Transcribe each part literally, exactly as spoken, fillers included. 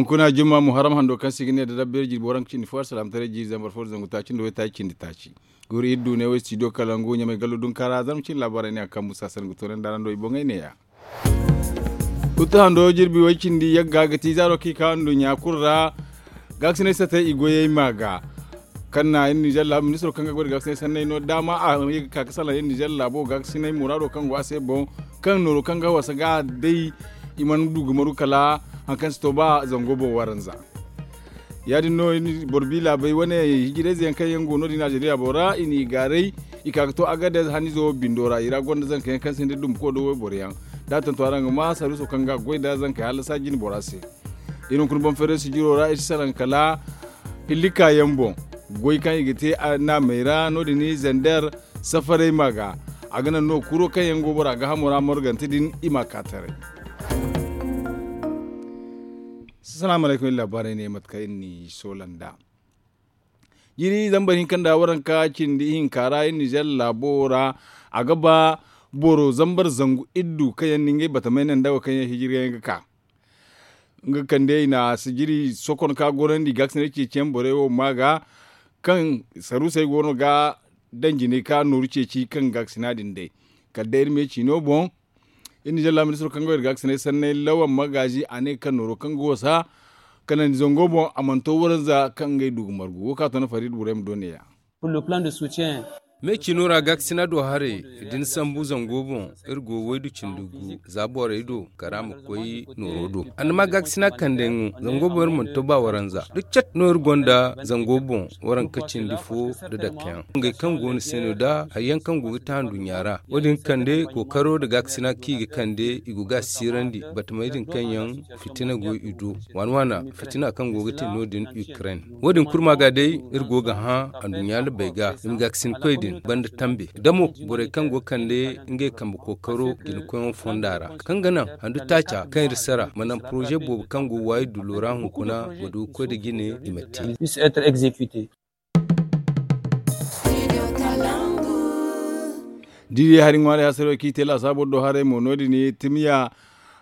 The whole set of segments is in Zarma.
Hunkuna jumma muharram hando kaŋ se i ga ne da rabbeeri jirbi waranka cindi fo alsalaamataray jiiri zambar fo da zangu taaci nda waytaaci cindi taaci. Guuru iri du ne wo istidiyo kalangu ɲamay gallo dunkaara zarma cindi laabaarey ne a kambu saasar ga toonandi araŋ do i boŋey neeya. Kutta hando jirbi way cindi yagga ga ti zaaro kaŋ i ka nduɲɲa kulu ra. Gaakasinay satey i goyey ma ga kaŋ na iri ninzeer laabu ministiro kaŋ ga goy nda gaakasinay sanney no daama a ye ga ka ga salaŋ iri ninzeer laabo gaakasinay muraado kaŋ go a se boŋ, kaŋ nooro kaŋ ga wasa ga day i mana du ga maru kala hari kaŋ si to ba zango boŋ waranza. Ya- din no boro bi laabey wane hijirayze yaŋ kaŋ yaŋ go no- din alzeriya boŋ ra i n'i gaaray i ka ga to agadez hanizo bindo ra i ra gonda zanka yaŋ kaŋ sinda dumbu koy do wayboro yaŋ. Da a tantu araŋ ga ma sarwiso kaŋ ga goy nda zankey hallasa jine bora se. Iri hunkuna boŋ feeray sijiro ra iri si salaŋ kala hillika yaŋ boŋ goy kaŋ i ga te naamey ra no- din zander safarey ma ga a ga naŋ no kuro kaŋ yaŋ go bora gaahamo ra morgante din i ma ka taray. Salaamu alaykum iri laabaarey ne mate kaŋ iri n'i soola nd'a. Jiiri zambar hinka nda waranka cindi ihinka ra iri ninzeer laabo ra a ga ba boro zambar zangu iddu kaŋ yaŋ na ngey batamey naŋ nda wo kaŋ yaŋ hijiryaŋ ga ka. Nga kande i na sijiri sokon ka gorandi gaakasinay ceeciyaŋ borey wo ma ga kaŋ saruusey go no ga daŋ jinay ka nooru ceeci kaŋ gaakasina din day. Kala day iri me ciino boŋ iri na jalla ministiro kaŋ go iri gaakasinay sanney lawan magaazi a ne kaŋ nooro kaŋ ga wasa kanandi zango boŋ a mana to waranza kaŋ ngey du ga margu wo kaŋ a to na fariida borey ma do neeya. Me ciino ra gaakasina do haray da ni sambu zango boŋ iri go waydu cindi gu za borey do kala a ma koy nooro do a na ma gaakasina kande ŋo zango boŋ iri mana to ba waranza da cat no iri gonda zango boŋ waranka cindi fo da dakkayaŋ ngey kaŋ go ni se no da hari yaŋ kaŋ go ga te handuɲɲa ra wo- din kande kookaro nda gaakasina kaŋ i ga kande i go ga a siirandi batamey din kaŋ yaŋ fitina go i do waana waana fitina kaŋ go ga te no- din ukraine wo- din kulu ma ga day iri go ga hã handuɲɲa labey ga i ma gaakasinkoy din banda tambe da mo borey kaŋ go ga kande ngey kambe kookaro jinkoyaŋo fonda ra kaŋ ga naŋ handu taaca kaŋ iri sara ma naŋ poroze boobo kaŋ go waayi dullo ra hunkuna ma du ga koy nda jine i ma te. Diri hari ŋwaaray hasaro kaŋ i te laasaabo do haray mo no- din timiya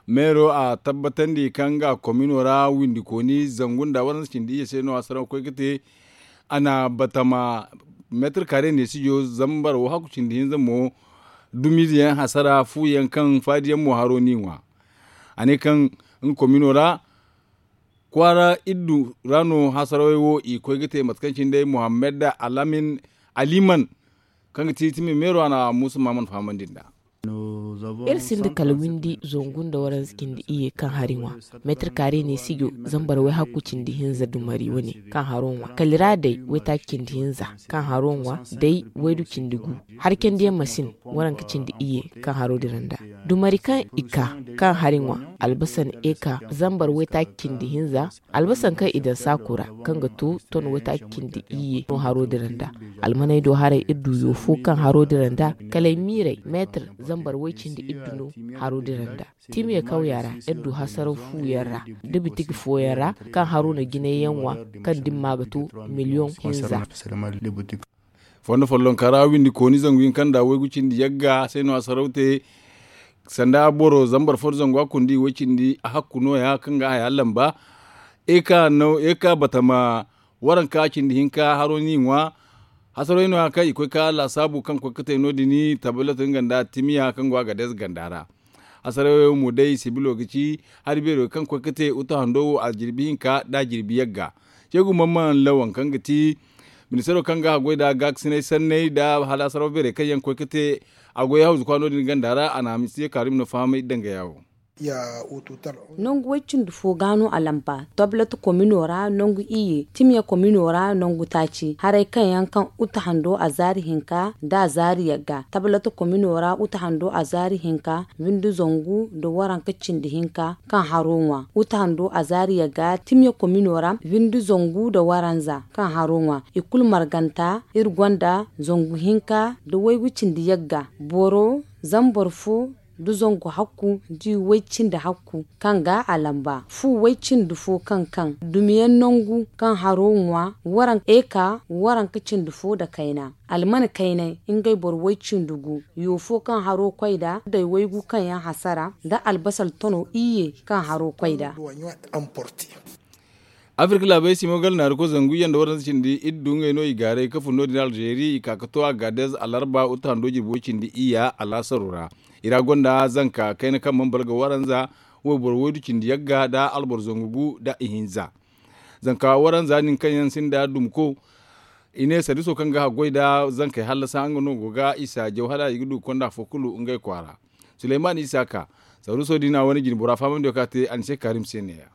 meero a tabbatandi kaŋ nga komino ra windikooni zangu nda waranza cindi iyye se no hasaraw ga koy ga te. A na batama meetar kaare neesijo zambar wo hakku cindi hinza mo dumiize yaŋ hasara fu yaŋ kaŋ faadi yaŋ mo haro n'i ŋwa. A ne kaŋ nga komino ra kwaara iddu ra no hasarawey wo i koy ga te mate kaŋ cine day muhammad alamin aliman kaŋ ga ti timi meero a na muusa maaman fahamandi nd'a. Iri sinda kala windi zangu nda waranza cindi iyye kaŋ hari ŋwa meetar kaare neesijo zambar wayhakku cindi hinza dumari wane kaŋ haro ŋwa kala i ra day waytaaci cindi hinza kaŋ haro ŋwa day waydu cindi gu. Hari candiyaŋ masin waranka cindi iyye kaŋ haro dira nda dumari kaŋ i ka kaŋ hari ŋwa albasan eka zambar waytaaci cindi hinza albasan kaŋ i daŋ saako ra kaŋ ga to ton waytaaci cindi iyye no haro dira nda. Almaney do haray iri du yo fo kaŋ haro dira nda kala ay miirey meetar zambar way cindi iddu no haro dira nda. Timiya kawya ra iri du hasaraw fu yaŋ ra da bitigi fo yaŋ ra kaŋ haro na jinay yaŋ ŋwa kaŋ dimma ga to miliyoŋ hinza. Fondo follonka ra windi kooni zangu hinka nda waygu cindi yagga se no hasaraw te. Sanda boro zambar fo nda zangu a kundi way cindi a hakku nooya kaŋ ga haya lamba. Eka batama waranka cindi hinka haro n'i ŋwa. Hasarawey nooya kaŋ i koy ka laasaabu kaŋ koy ga te no- din tablet nga nda timiya kaŋ go a ga deeza ganda ra. Hasarawey mo day sibilo ga ci hari beero kaŋ koy ga te uta hando wo a jirbi hinka nda a jirbi yagga. Ceegu mamman lawan kaŋ ga ti ministaro kaŋ ga haggoy nda gaakasinay sanney nda hala hasaraw beerey kaŋ yaŋ koy ga te a goy hawzu kwa no- din ganda ra a na hamisi ye kaarum no fahamay dangaya wo. Nangu way cindi fo ga no a lamba tablet komino ra nangu iyye timiya komino ra nangu taaci haray kaŋ yaŋ kaŋ uta hando a zaari hinka nda a zaari yagga tablet komino ra uta hando a zaari hinka windi zangu nda waranka cindi hinka kaŋ haro ŋwa uta hando a zaari yagga timiya komino ra windi zangu nda waranza kaŋ haro ŋwa i kulu marganta iri gonda zangu hinka nda waygu cindi yagga boro zambar fo nda zangu hakku nda i way cindi hakku kaŋ ga a lamba fu way cindi fo kaŋ kaŋ dumiyaŋ nangu kaŋ haro ŋwa waranka eka waranka cindi fo nda kayna almana kaynay ngey boro way cindi gu yo fo kaŋ haro koy nda day waygu kaŋ yaŋ hasara nda albasal tono iyye kaŋ haro koy nda. Afirka laabey simo gala naari koy zangu iyye nda waranza cindi iddu ngey no i gaaray ka fun no- din alzeeri i ka ka to a gaadez alarba uta hando jirbi way cindi iyya alaasaro ra. I ra gonda zanka kayna kaŋ mana balga waranza wayboro waydu cindi yagga nda alboro zangu gu nda ihinza. Zanka waranza din kaŋ yaŋ sinda dumko i ne sardiso kaŋ ga haggoy nda zankey hallasa nga no go ga isa jaw hala i ga du ga konda afo kulu ngey kwaara. Suleyman isa ka sardiso din a wane jinbora fahamandiyo kaŋ a te anise karim se neeya.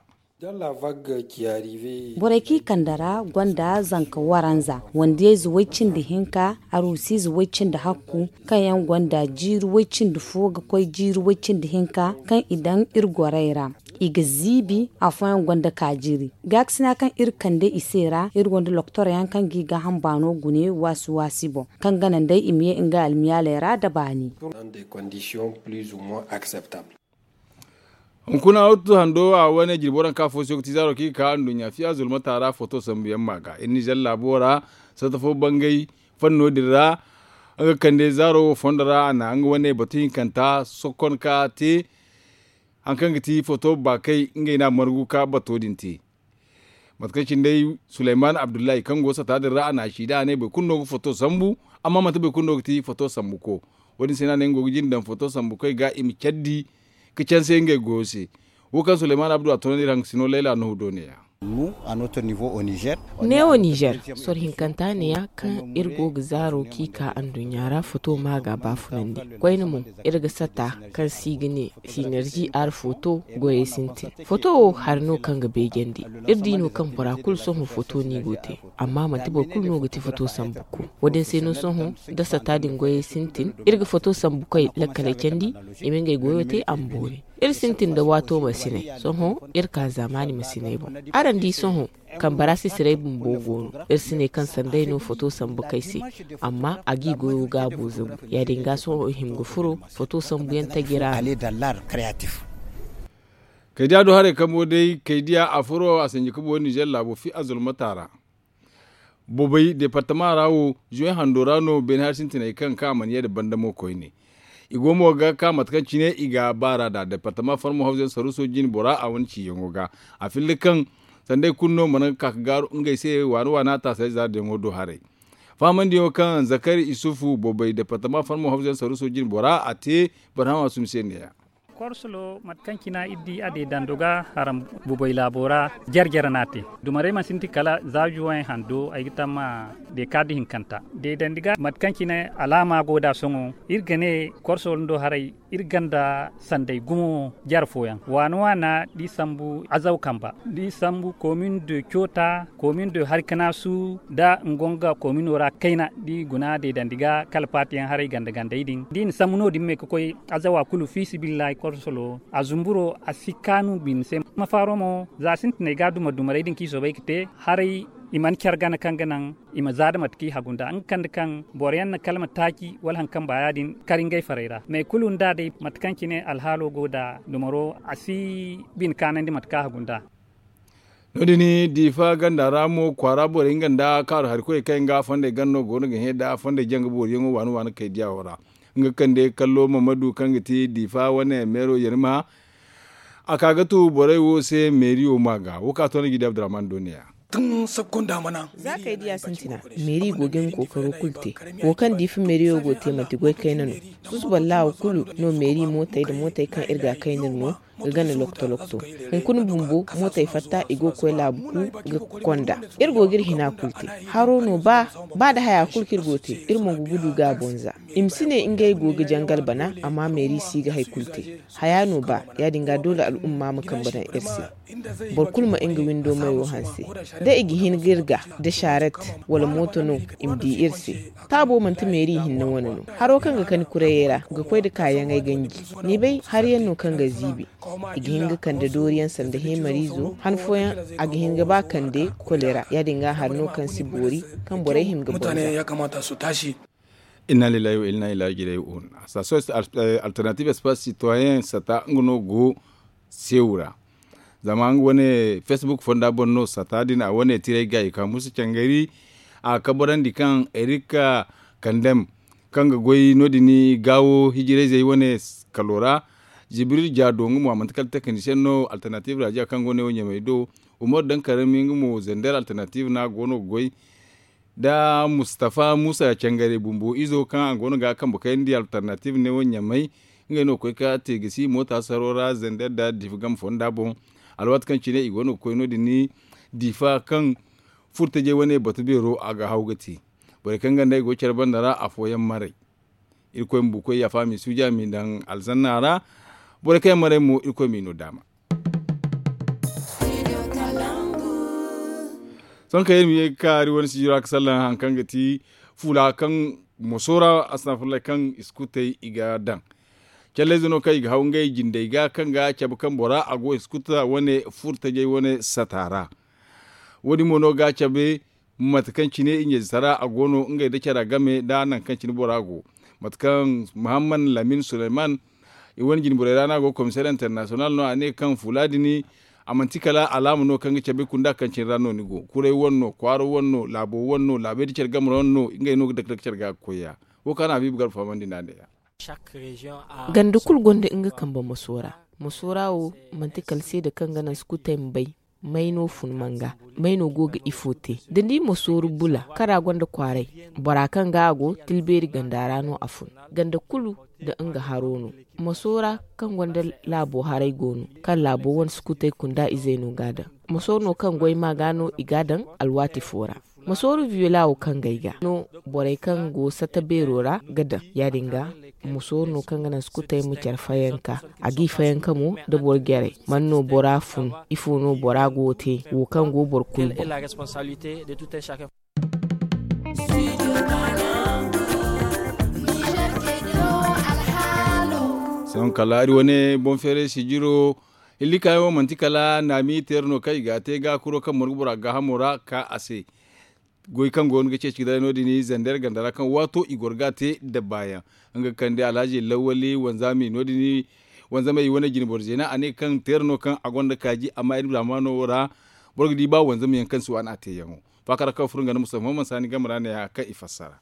Borey kaŋ i kande ra gonda zanka waranza wandiyayze way-cindi hinka, aruusiize way-cindi hakku, kaŋ yaŋ gonda jiiri way-cindi fo ga koy jiiri way-cindi hinka, kaŋ i daŋ iri gorey ra. I ga ziibi afooyaŋ gonda kaajiri. Gaakasina kaŋ iri kande i se ra iri gonda loktor yaŋ kaŋ ga i gaaham baano gune waasi waasi boŋ, kaŋ gana nd'ey i ma ye nga almiyaaley ra nda baani. Hunkuna wattu hando a wane jirbi waranka fo se ga ti zaaro kaŋ i ga ka anduɲɲa fiya zulmata ra foto sambu yaŋ ma ga iri nizer laabo ra. Satta fo bangay fanno din ra nga kande zaaro wo fondo ra a na nga wane batu hinkanta sokon ka te. Hari kaŋ ga ti foto baakay ngey no a margu ka bato din te. Mate kaŋ cine day suleyman abdullahi kaŋ go sata din ra a na a ci da a ne boro kulu no ga foto sambu. Amma manti boro kulu no ga ti foto sambuko. Wo- din se no a ne nga go ga jinde daŋ foto sambukoy ga i ma care di ka canse ngey goyo se. Wo kaŋ suleyman abdu a to no iri hangasino layla nuhu do ne- ya. Neewo nizer soro hinkanta ne- ya kaŋ iri go ga zaaro kaŋ i ka anduɲɲa ra foto ma ga baafunandi. Koyne mo iri ga sata kaŋ se i ga ne sinerzi ar foto goyey sintin. Foto wo hari no kaŋ ga beejandi. Iri di no kaŋ bora kulu sohõ foto no i go ga te. Amma manti boro kulu no ga ti foto sambuko. Wo- din se no sohõ da sata din goyey sintin iri ga foto sambukoy lakkaley candi. I ma ngey goyo te a ma boori. Iri sintin nda waato masinay sohõ iri ka zaamaani masinay boŋ. Araŋ di sohõ kambara sisiray bumbo go no. Iri si ne kaŋ sanday no foto sambu kay se. Amma a ga i goyo gaabo zabu ya- din ga sohõ i hima ga furo foto sambuyaŋ taji ra. Kaydiya do haray kambo day kaydiya a furo a sanji ka boori nizer laabo fi a zulmata ra. Bobay departama ra wo zuwe hando ra no beene hari sintinay kaŋ ka a mana ye nda banda mo koyne. I go mo ga ka mate kaŋ cine i ga baara nd'a departama farmo hawzayaŋ saruuso jine bora a wane ciyaŋo ga. A filla kaŋ sanda ay kulu no mana ga ka ga gaaru ngey se waana waana taasay zaari dayaŋo do haray. Fahamandiyaŋo kaŋ zakari isufu bobay departama farmo hawzayaŋ saruuso jine bora a te barhama sum se ne- ya. Korsolo mate kaŋ cina iri di a deedando ga haram bubay laabo ra. Jare jare no a te dumarey mana sintin kala za zuwey hando ay ga tamma de kaadi hinkanta deedandi ga mate kaŋ cine alaama go nd'a sohõ. Iri ga ne korsolo ndo haray iri ganda sanday gumo jare fooyaŋ waana waana da i sambu azaw kamba da i sambu komin de coota komin de harkanaasu nda nga nga komino ra kayna da i guna deedandi ga kala paatiyaŋ haray ganda gandey din da i na sambu no- din me ga koy azawa kulu fi sibillahi korsolo a zumburo a si kaanu bine se. Mafaaro mo za sintinay ga dumar dumarey din kaŋ i soobay ga te haray i mana care gana kaŋ ga naŋ i ma za nda mate kaŋ i hagu nd'a nga kande kaŋ boro yaŋ na kala ma taaci wala hari kaŋ ba ya- din kar ngey farey ra me kulu nd'a day mate kaŋ cine alhaalo go nd'a dumaro a si bine kaanandi mate kaŋ a hagu nd'a. No- din diifa ganda ra mo kwaara borey nga nda kaaru hari koyey kaŋ yaŋ ga fondey ganda no go no ga hẽ nda fondey janga booriyaŋo waani waani kay diya wo ra. Nga kande kallo mamadu kaŋ ga ti diifa wane meero yarima a ka ga tu borey wo se meeriyo ma ga wo ka to no ga i di abdurrahman do ne- ya. Za kay diya sintina meeri go ga nga kookaro kulu te. Wo kaŋ diifa meeriyo go te manti goy kayna no. Susuba laawa kulu no meeri mootey nda mootey kaŋ iri ga kayna no ga gana lokto lokto. Hunkuna bumbo mootey fatta i go ga koy laabu kulu ga konda. Iri go ga iri hina kulu te. Haro no ba ba nda haya kulu kaŋ iri go ga te iri mo ga gudu ga a bonza. I ma si ne ngey go ga jangal bana amma meeri si ga hari kulu te. Haya no ba ya- din ga doole al'umma ma kambe daŋ iri se. Boro kulu ma nga windo mayo hanse da i ga hin ga iri ga da sharet wala mooto no i ma di iri se. Taabo manti meeri hinne wane no. Haro kaŋ ga kani kurayey ra ga koy nda kaayaŋey ganji. Ni bay hari yaŋ no kaŋ ga ziibi. I ga hin ga kande dooriyaŋ sanda heemariizo han fooyaŋ a ga hin ga ba kande kolera ya- din ga hari no kaŋ si boori kaŋ borey hin ga bonza. Inna lillahi wa inna ilaihi raji'un. Association alternative espace citoyen sata nga no go seewu ra. Zama nga wane facebook fonda boŋ no sata din a wane tiray ga i ka musu cangari. A kabarandi kaŋ erika kandem kaŋ ga goy no- din gaawo hijirayzey wane kalo ra. Jibril jaado nga mo a manti kala technicien no alternative radio kaŋ go ne wo ɲamey do. Umaru daŋ karami nga mo zender alternative no a go no ga goy, nda mustafa musa cangare bumbo izo kaŋ a go no ga a kambe kayandi alternative ne wo ɲamay. Ngey no ga koy ka te ga si moota saro ra zender nda difa game fonda boŋ. Alwaati kaŋ cine i go no ga koy no- din difa kaŋ furtajey wane batu beero a ga haw ga te. Borey kaŋ ganda i go care banda ra afooyaŋ maray. Irkoy ma buukoy yaafa a m'i suuja a m'i daŋ alzanna ra. Borey kaŋ yaŋ maray mo irkoy m'i no daama. Sohõ kaŋ iri ma ye ga kaari wane sijira ga sallaŋ hari kaŋ ga ti fuula kaŋ moso ra astafurlay kaŋ i si kutey i ga daŋ. Callayze no kaŋ i ga haw ngey jindey ga kaŋ ga cabe kaŋ bora a go i si kuta wane furtajey wane sata ra. Wo- din mo no ga cabe mate kaŋ cine i ɲayze tara a go no ngey nda cara game nda nangu kaŋ cine bora go. Mate kaŋ muhammad lamin suleyman i wane jine borey ra no a go komiseer internasiyonal no a ne kaŋ fuula din a manti kala alaama no kaŋ ga cabe kunda kaŋ cine ra no ni go kuray wane no kwaaro wane no laabo wane no laabey nda care game ra wane no ngey no ga dake dake care ga ga koy ya. Wo kaŋ a na habiibu garba fahamandi nd'a ne ya. Ganda kulu gonda nga kambe masoora. Masoora wo manti kala seeda kaŋ ga naŋ sukutey ma bay may no fun manga may no go ga ifo te da ni ma sooru bula kara gonda kwaaray. Bora kaŋ ga a go tilbeeri ganda ra no a fun. Ganda kulu nda nga haro no. Masoora kaŋ gonda laabo haray go no kaŋ laabo wane sukutey kunda izey no ga a daŋ. Masooro no kaŋ goy ma ga no i ga a daŋ alwaati fo ra. Masooru viyoola wo kaŋ ga ay ga no borey kaŋ go satta beero ra ga daŋ ya- din ga. Masooru no kaŋ ga naŋ sukutey ma care fayanka a g'i fayanka mo nda boro jarey man no bora fun? Ifo no bora go ga te wo kaŋ go boro kulu boŋ? Sohõ kala iri wane boŋ feeray sijiro. Hilli kaayaŋo manti kala naami teera no kaŋ i ga a te ga kuro kaŋ margu bora gaahamo ra ka a se. Goy kaŋ go no ga ceeci ga daray no- din zandeer ganda ra kaŋ waato i goro ga a te nda baayaŋ. Nga ga kande alhaji lawali wanzami no- din wanzamey wane jine boro zeena a ne kaŋ teera no kaŋ a gonda kaaji amma iri zaamaano wo ra boro ga di ba wanzamyaŋ kaŋ si waani a teeyaŋo. Faakara kaŋ furo nga nda mustafa muhammad saani game ra ne- ya kaŋ i fassara.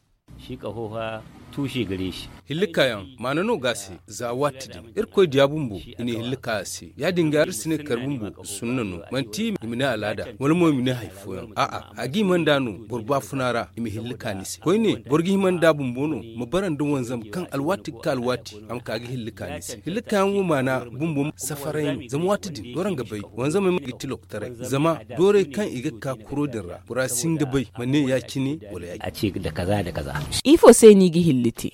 Hilli kaayaŋ maana no ga a se. Za waati din irkoy diya bumbo i na hilli ka a se ya- din ga iri si ne kar bumbo sunna no manti i ma ne alaada wala mo i ma ne hari fooyaŋ a'a a ga hima nd'a no boro baafuna ra i ma hilli ka ni se koyne boro ga hima nd'a bumbo no ma bara nda wanzam kaŋ alwaati ga ka alwaati a ma ka ga hilli ka ni se. Hilli kaayaŋ wo maana bumbo safaray no zama waati din dooro nga bay wanzamey ma ga ti loktaray zama doorey kaŋ i ga ka kuro din ra bora si hin ga bay ma ne ya- cine wala ya- cine. Ifo se no i ga hilli te?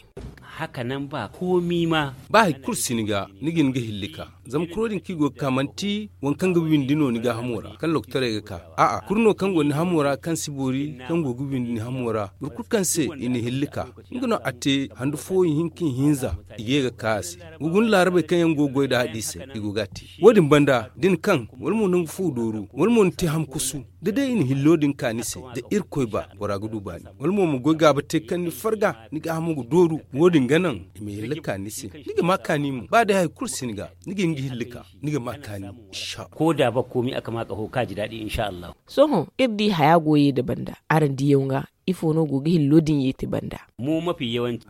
Ba hari kulu si ni ga ni ga hin ga hilli ka zama kuro din kaŋ i go ga ka manti waŋ kaŋ ga windi no ni gaahamo ra kaŋ loktaray ga ka a'a kuri no kaŋ go ni hamo ra kaŋ si boori kaŋ go ga windi ni hamo ra boro kulu kaŋ se i na hilli ka nga no a te handu fo ihinka ihinza i ga ye ga ka a se. Ga guna laarabey kaŋ yaŋ go ga goy nda hadiisey i go ga a te wo- din banda da ni kaŋ wala mo nangu fo dooru wala mo ni te hamkusu da day i na hillo din ka ni se da irkoy ba bora ga du baani wala mo ma goy gaaba te kaŋ ni farga ni gaahamo ga dooru wo- din ga naŋ i ma hilli ka ni se ni ga ma kaani mo ba day hari kulu si ni ga ni ga hin ga hilli ka ni ga ma kaani. Ko da ba koomi a ga ma kaho kaaji daadi insha allahu. Sohõ iri di haya go ye nda banda araŋ diyaŋ ga ifo no go ga hillo din ye te banda?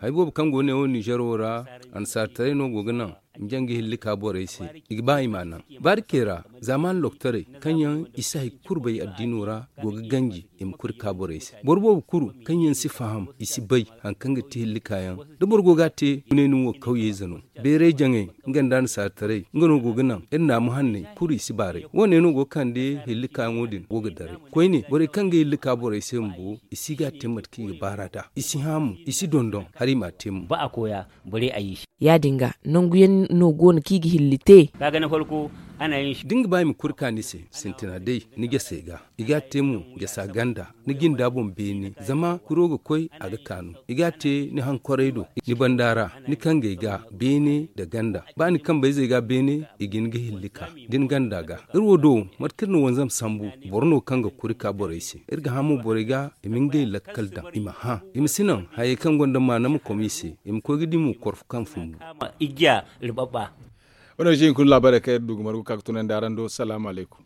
Hari boobo kaŋ go ne wo ninzeer wo ra annasaarataray no go ga naŋ i ma jaŋ ga hilli ka borey se i ga ba i m'a naŋ baarikey ra. Zaamaani loktaray kaŋ yaŋ i si hari kulu bay addiino ra go ga ganji i ma kuri ka borey se boro boobo kulu kaŋ yaŋ si faham i si bay hari kaŋ ga ti hilli kaayaŋ da boro go ga a te gune ni wo kawyey zano beeray jaŋay nga nda annasaarataray nga no go ga naŋ iri naamu hanney kulu i si baaray wo- ne no go ga kande hilli kaayaŋo din go ga daray koyne borey kaŋ ga hilli ka borey se bumbo i si ga a te mate kaŋ i ga baar'a nd'a i si hã mo i si dondon hala i m'a te mo. Ya- din ga nangu yaŋ no go no kaŋ i ga hilli te? Da ni ga ba i ma kuri ka ni se sintina day ni jasey ga i ga a te mo jasa ganda ni jinda boŋ beene zama kuro ga koy a ga kaanu i ga a te ni hankoray do ni banda ra ni kangey ga beene nda ganda ba ni kambayzey ga beene i ga ni ga hilli ka da ni ganda ga iri wo do mate kaŋ iri na wanzam sambu boro no kaŋ ga kuri ka borey se iri ga hã mo borey ga i ma ngey lakkal daŋ i ma hã i ma si naŋ hayey kaŋ gonda maana ma kom i se i ma koy ga di mo korfo kaŋ fumbu. Wane wo se hinkuna laabaarey kaŋ iri du ga margu ga ka ga tunandi araŋ do salaamu alaykum.